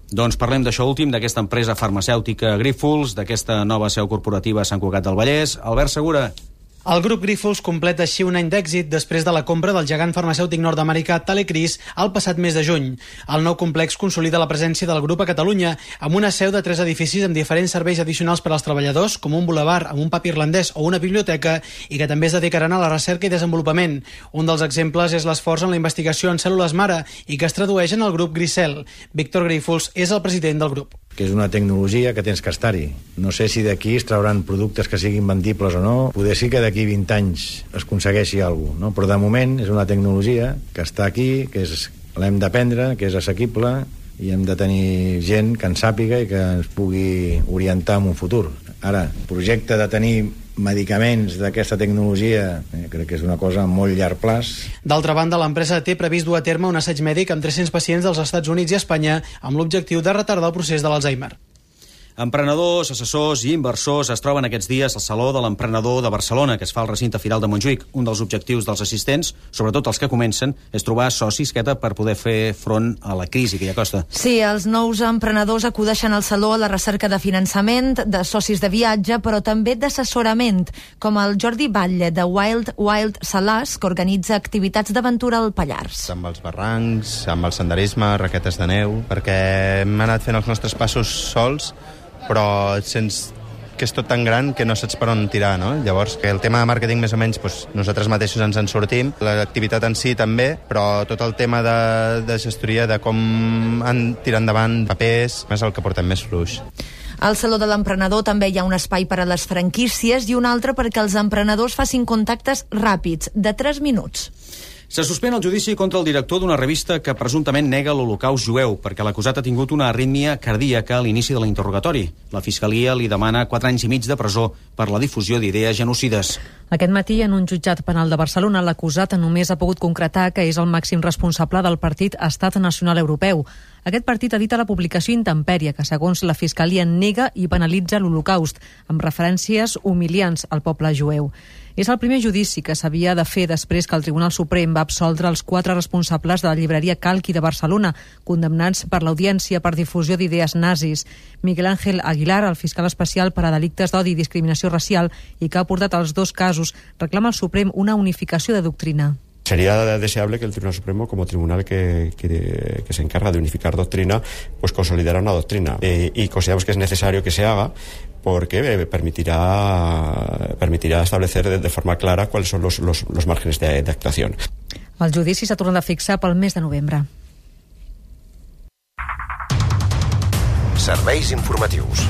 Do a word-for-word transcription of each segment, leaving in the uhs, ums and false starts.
Doncs parlem d'això últim, d'aquesta empresa farmacèutica Grífols, d'aquesta nova seu corporativa a Sant Cugat del Vallès. Albert Segura. El grup Grífols completa així un any d'èxit després de la compra del gegant farmacèutic nord-americà Talecris el passat mes de juny. El nou complex consolida la presència del grup a Catalunya amb una seu de tres edificis amb diferents serveis addicionals per als treballadors, com un bulevard amb un pub irlandès o una biblioteca, i que també es dedicaran a la recerca i desenvolupament. Un dels exemples és l'esforç en la investigació en cèl·lules mare i que es tradueix en el grup Grisel. Víctor Grífols és el president del grup. Que és una tecnologia que tens que estar-hi. No sé si d'aquí es trauran productes que siguin vendibles o no. Poder sí que d'aquí vint anys es aconsegueixi alguna cosa, no? Però de moment és una tecnologia que està aquí, que és, l'hem d'aprendre, que és assequible, i hem de tenir gent que en sàpiga i que ens pugui orientar en un futur. Ara, el projecte de tenir medicaments d'aquesta tecnologia eh, crec que és una cosa a molt llarg plaç. D'altra banda, l'empresa té previst dur a terme un assaig mèdic amb tres-cents pacients dels Estats Units i Espanya amb l'objectiu de retardar el procés de l'Alzheimer. Emprenedors, assessors i inversors es troben aquests dies al Saló de l'Emprenedor de Barcelona, que es fa al recinte firal de Montjuïc. Un dels objectius dels assistents, sobretot els que comencen, és trobar socis que per poder fer front a la crisi que hi acosta. Sí, els nous emprenedors acudeixen al Saló a la recerca de finançament, de socis de viatge, però també d'assessorament, com el Jordi Batlle, de Wild Wild Salàs, que organitza activitats d'aventura al Pallars. Amb els barrancs, amb el senderisme, raquetes de neu, perquè hem anat fent els nostres passos sols, però sents que és tot tan gran que no saps per on tirar, no? Llavors, que el tema de màrqueting més o menys doncs, nosaltres mateixos ens en sortim, l'activitat en si també, però tot el tema de, de gestoria, de com han tirar endavant papers, és el que portem més fluix. Al Saló de l'Emprenedor també hi ha un espai per a les franquícies i un altre perquè els emprenedors facin contactes ràpids, de tres minuts. Se suspèn el judici contra el director d'una revista que presumptament nega l'Holocaust jueu perquè l'acusat ha tingut una arrítmia cardíaca a l'inici de l'interrogatori. La Fiscalia li demana quatre anys i mig de presó per la difusió d'idees genocides. Aquest matí, en un jutjat penal de Barcelona, l'acusat només ha pogut concretar que és el màxim responsable del partit Estat Nacional Europeu. Aquest partit edita la publicació Intempèrie, que segons la Fiscalia nega i banalitza l'Holocaust, amb referències humiliants al poble jueu. És el primer judici que s'havia de fer després que el Tribunal Suprem va absoldre els quatre responsables de la llibreria Calqui de Barcelona, condemnats per l'Audiència per difusió d'idees nazis. Miguel Ángel Aguilar, el fiscal especial per a delictes d'odi i discriminació racial, i que ha portat els dos casos, reclama al Suprem una unificació de doctrina. Sería deseable que el Tribunal Supremo, como tribunal que, que, que se encarga de unificar doctrina, pues consolidara una doctrina. Eh, y consideramos que es necesario que se haga porque eh, permitirá, permitirá establecer de, de forma clara cuáles son los, los, los márgenes de, de actuación. El judici s'ha tornat a fixar pel mes de novembre. Serveis informatius.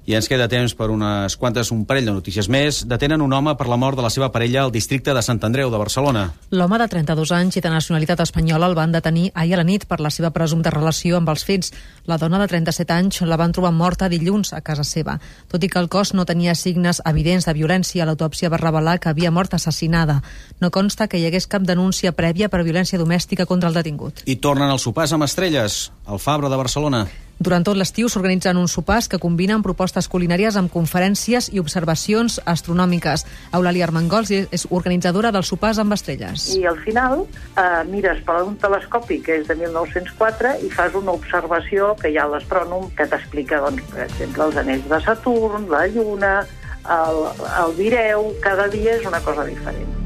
I ens queda temps per unes quantes, un parell de notícies més. Detenen un home per la mort de la seva parella al districte de Sant Andreu de Barcelona. L'home de trenta-dos anys i de nacionalitat espanyola el van detenir ahir a la nit per la seva presumpta relació amb els fets. La dona de trenta-set anys la van trobar morta dilluns a casa seva. Tot i que el cos no tenia signes evidents de violència, l'autòpsia va revelar que havia mort assassinada. No consta que hi hagués cap denúncia prèvia per violència domèstica contra el detingut. I tornen els sopars amb estrelles, al Fabra de Barcelona. Durant tot l'estiu s'organitzen uns sopars que combinen propostes culinàries amb conferències i observacions astronòmiques. Eulàlia Armengols és organitzadora dels sopars amb estrelles. I al final eh, mires per un telescopi que és de mil nou-cents quatre i fas una observació que hi ha a l'astrònom que t'explica, doncs, per exemple, els anells de Saturn, la Lluna, el, el Vireu, cada dia és una cosa diferent.